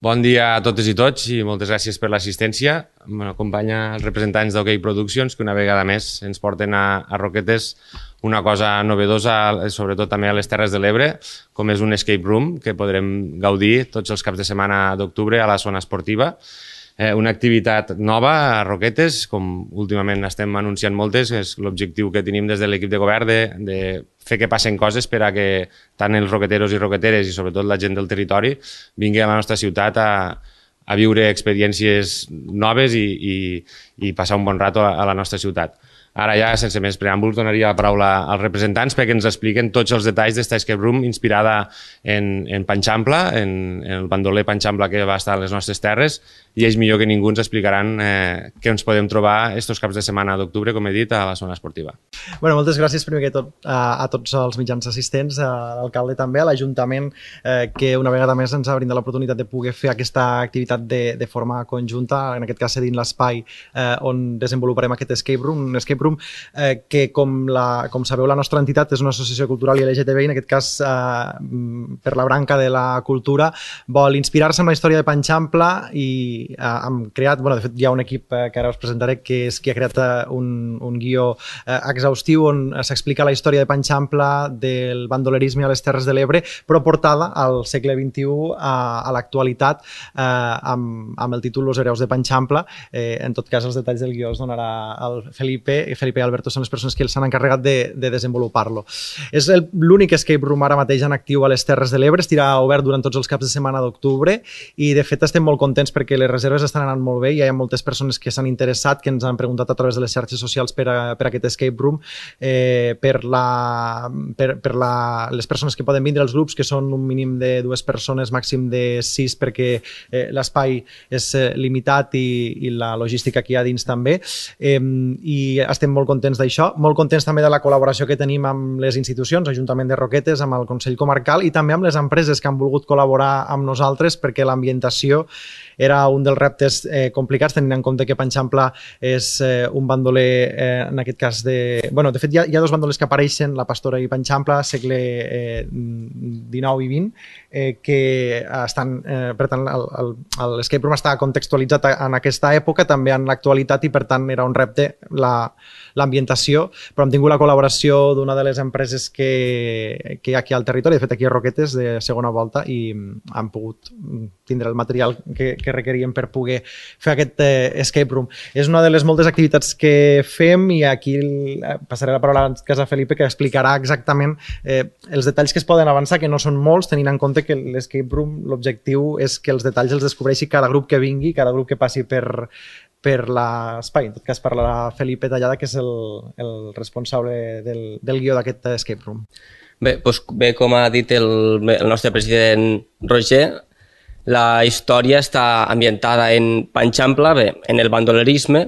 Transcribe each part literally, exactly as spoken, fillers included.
Bon dia a totes i tots i moltes gràcies per l'assistència. M'acompanya els representants d'Ok Productions, que una vegada més ens porten a, a Roquetes una cosa novedosa, sobretot també a les Terres de l'Ebre, com és un escape room que podrem gaudir tots els caps de setmana d'octubre a la zona esportiva. Eh, una activitat nova a Roquetes, com últimament estem anunciant moltes, és l'objectiu que tenim des de l'equip de govern de, de fer que passen coses per a que tant els roqueteros i roqueteres i sobretot la gent del territori vingui a la nostra ciutat a, a viure experiències noves i, i, i passar un bon rato a, a la nostra ciutat. Ara ja, sense més preàmbuls, donaria la paraula als representants perquè ens expliquen tots els detalls d'esta escape room inspirada en, en Panxampla, en, en el bandoler Panxampla que va estar a les nostres terres, i ells millor que ningú ens explicaran eh, què ens podem trobar estos caps de setmana d'octubre, com he dit, a la zona esportiva. Bueno, moltes gràcies primer que tot a, a tots els mitjans assistents, a l'alcalde també, a l'Ajuntament, eh, que una vegada més ens ha brindat l'oportunitat de poder fer aquesta activitat de, de forma conjunta, en aquest cas cedint l'espai eh, on desenvoluparem aquest escape room, un escape room eh, que, com, la, com sabeu, la nostra entitat és una associació cultural i L G T B i, en aquest cas, eh, per la branca de la cultura, vol inspirar-se en la història de Panxampla i Uh, hem creat, bueno, de fet hi ha un equip uh, que ara us presentaré, que és qui ha creat uh, un, un guió uh, exhaustiu on uh, s'explica la història de Panxampla, del bandolerisme a les Terres de l'Ebre, però portada al segle vint-i-u a, a l'actualitat uh, amb, amb el títol Los hereus de Panxampla. Eh, en tot cas, els detalls del guió els donarà el Felipe, i Felipe i Alberto són les persones que s'han encarregat de, de desenvolupar-lo. És l'únic escape room ara mateix en actiu a les Terres de l'Ebre, estirà obert durant tots els caps de setmana d'octubre i, de fet, estem molt contents perquè les reserves estan anant molt bé, hi ha moltes persones que s'han interessat, que ens han preguntat a través de les xarxes socials per a, per a aquest escape room, eh, per, la, per, per la, les persones que poden vindre, els grups, que són un mínim de dues persones, màxim de sis, perquè eh, l'espai és eh, limitat i, i la logística que hi ha dins també, eh, i estem molt contents d'això, molt contents també de la col·laboració que tenim amb les institucions, Ajuntament de Roquetes, amb el Consell Comarcal i també amb les empreses que han volgut col·laborar amb nosaltres perquè l'ambientació era un dels reptes eh, complicats, tenint en compte que Panxampla és eh, un bandoler, eh, en aquest cas de... Bueno, de fet, hi ha, hi ha dos bandolers que apareixen, la Pastora i Panxampla, segle eh, dinou i vint, eh, que estan... Eh, per tant, l'escape room està contextualitzat en aquesta època, també en l'actualitat, i per tant era un repte l'ambientació, però hem tingut la col·laboració d'una de les empreses que, que hi ha aquí al territori, de fet aquí a Roquetes, de segona volta, i han pogut tindre el material que, que requeríem per poder fer aquest eh, escape room. És una de les moltes activitats que fem i aquí passaré la paraula a casa Felipe, que explicarà exactament eh, els detalls que es poden avançar, que no són molts, tenint en compte que l'escape room, l'objectiu és que els detalls els descobreixi cada grup que vingui, cada grup que passi per, per l'espai. En tot cas parlarà Felipe Tallada, que és el, el responsable del, del guió d'aquest escape room. Bé, doncs, bé, com ha dit el, el nostre president Roger, la història està ambientada en Panxampla, bé, en el bandolerisme,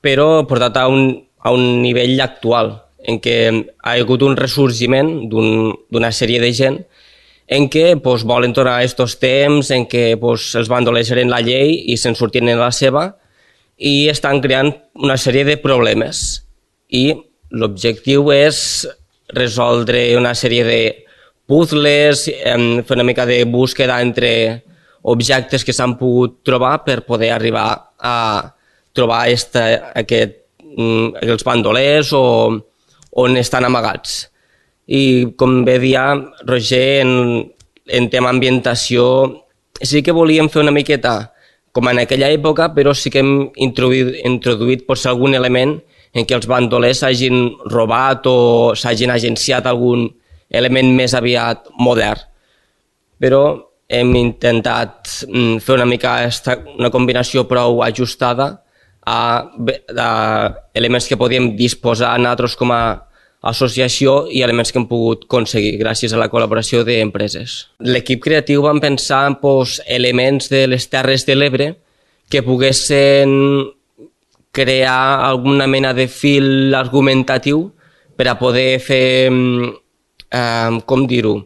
però portat a un, a un nivell actual, en què ha hagut un ressorgiment d'una un, sèrie de gent en què pues, volen tornar a aquests temps, en què pues, els bandolers eren la llei i se'n sortien en la seva, i estan creant una sèrie de problemes. I l'objectiu és resoldre una sèrie de puzzles, fer una mica de búsqueda entre objectes que s'han pogut trobar per poder arribar a trobar esta, aquest, els bandolers o on estan amagats. I com bé dia Roger, en, en tema ambientació, sí que volíem fer una miqueta com en aquella època, però sí que hem introduït, introduït potser algun element en què els bandolers s'hagin robat o s'hagin agenciat algun element més aviat modern. Però hem intentat fer una mica una combinació prou ajustada a, a elements que podíem disposar nosaltres com a associació i elements que hem pogut aconseguir gràcies a la col·laboració d'empreses. L'equip creatiu vam pensar en pues, elements de les Terres de l'Ebre que poguessin crear alguna mena de fil argumentatiu per a poder fer, eh, com dir-ho,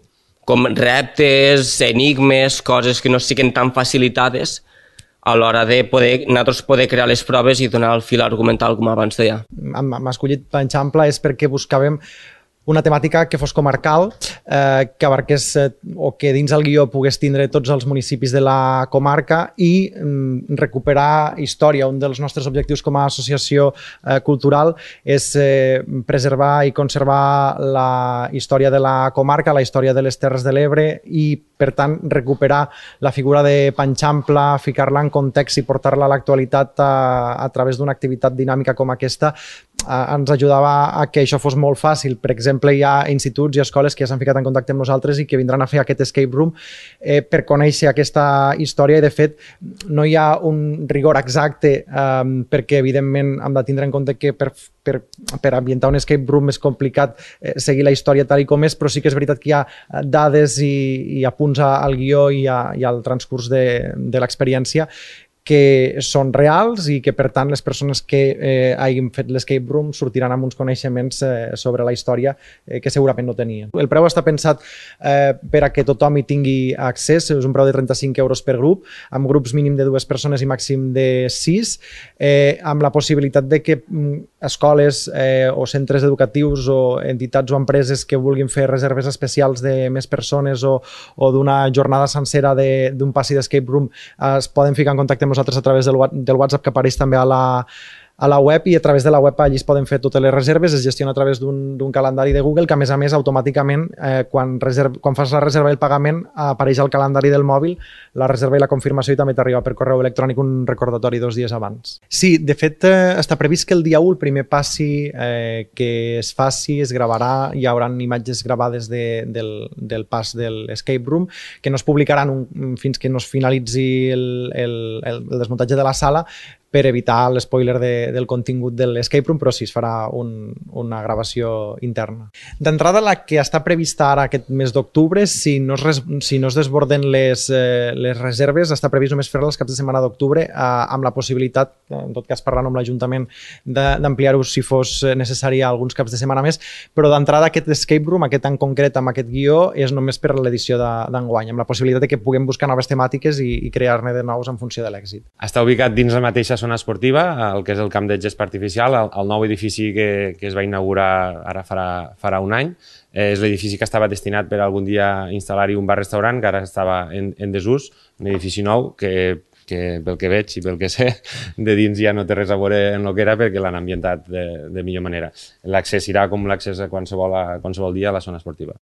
com reptes, enigmes, coses que no siguin tan facilitades a l'hora de poder, nosaltres poder crear les proves i donar el fil argumental, com abans deia. Hem escollit Panxampla és perquè buscàvem una temàtica que fos comarcal, eh, que abarqués eh, o que dins el guió pogués tindre tots els municipis de la comarca i mm, recuperar història. Un dels nostres objectius com a associació eh, cultural és eh, preservar i conservar la història de la comarca, la història de les Terres de l'Ebre i, per tant, recuperar la figura de Panxampla, ficar-la en context i portar-la a l'actualitat a, a través d'una activitat dinàmica com aquesta ens ajudava a que això fos molt fàcil. Per exemple, hi ha instituts i escoles que ja s'han ficat en contacte amb nosaltres i que vindran a fer aquest escape room eh, per conèixer aquesta història i, de fet, no hi ha un rigor exacte eh, perquè, evidentment, hem de tindre en compte que per, per, per ambientar un escape room és complicat eh, seguir la història tal i com és, però sí que és veritat que hi ha dades i, i apunts al guió i, a, i al transcurs de, de l'experiència que són reals i que, per tant, les persones que eh, hagin fet l'escape room sortiran amb uns coneixements eh, sobre la història eh, que segurament no tenien. El preu està pensat eh, per a que tothom hi tingui accés, és un preu de trenta-cinc euros per grup, amb grups mínim de dues persones i màxim de sis, eh, amb la possibilitat de que mm, escoles eh, o centres educatius o entitats o empreses que vulguin fer reserves especials de més persones o, o d'una jornada sencera d'un passi d'escape room eh, es poden ficar en contacte amb nosaltres a través del, del WhatsApp que apareix també a la, a la web, i a través de la web allí es poden fer totes les reserves, es gestiona a través d'un calendari de Google que, a més a més, automàticament eh, quan, reserv, quan fas la reserva i el pagament apareix al calendari del mòbil la reserva i la confirmació i també t'arriba per correu electrònic un recordatori dos dies abans. Sí, de fet eh, està previst que el dia u el primer passi eh, que es faci es gravarà, hi haurà imatges gravades de, del, del pas de l'escape room que no es publicaran un, fins que no es finalitzi el, el, el, el desmuntatge de la sala per evitar l'espoiler de, del contingut de l'escape room, però sí es farà un, una gravació interna. D'entrada, la que està prevista ara aquest mes d'octubre, si, no es, si no es desborden les, eh, les reserves, està previst només fer-la els caps de setmana d'octubre, eh, amb la possibilitat, en tot cas parlant amb l'Ajuntament, d'ampliar-ho si fos necessari alguns caps de setmana més, però d'entrada aquest escape room, aquest en concret amb aquest guió, és només per l'edició d'enguany, amb la possibilitat de que puguem buscar noves temàtiques i, i crear-ne de nous en funció de l'èxit. Està ubicat dins la mateixa zona esportiva, el que és el camp de gespa artificial, el, el nou edifici que, que es va inaugurar ara farà, farà un any. Eh, és l'edifici que estava destinat per algun dia instal·lar-hi un bar-restaurant, que ara estava en, en desús, un edifici nou que, que pel que veig i pel que sé, de dins ja no té res a veure en el que era perquè l'han ambientat de, de millor manera. L'accés serà com l'accés a qualsevol, a qualsevol dia a la zona esportiva.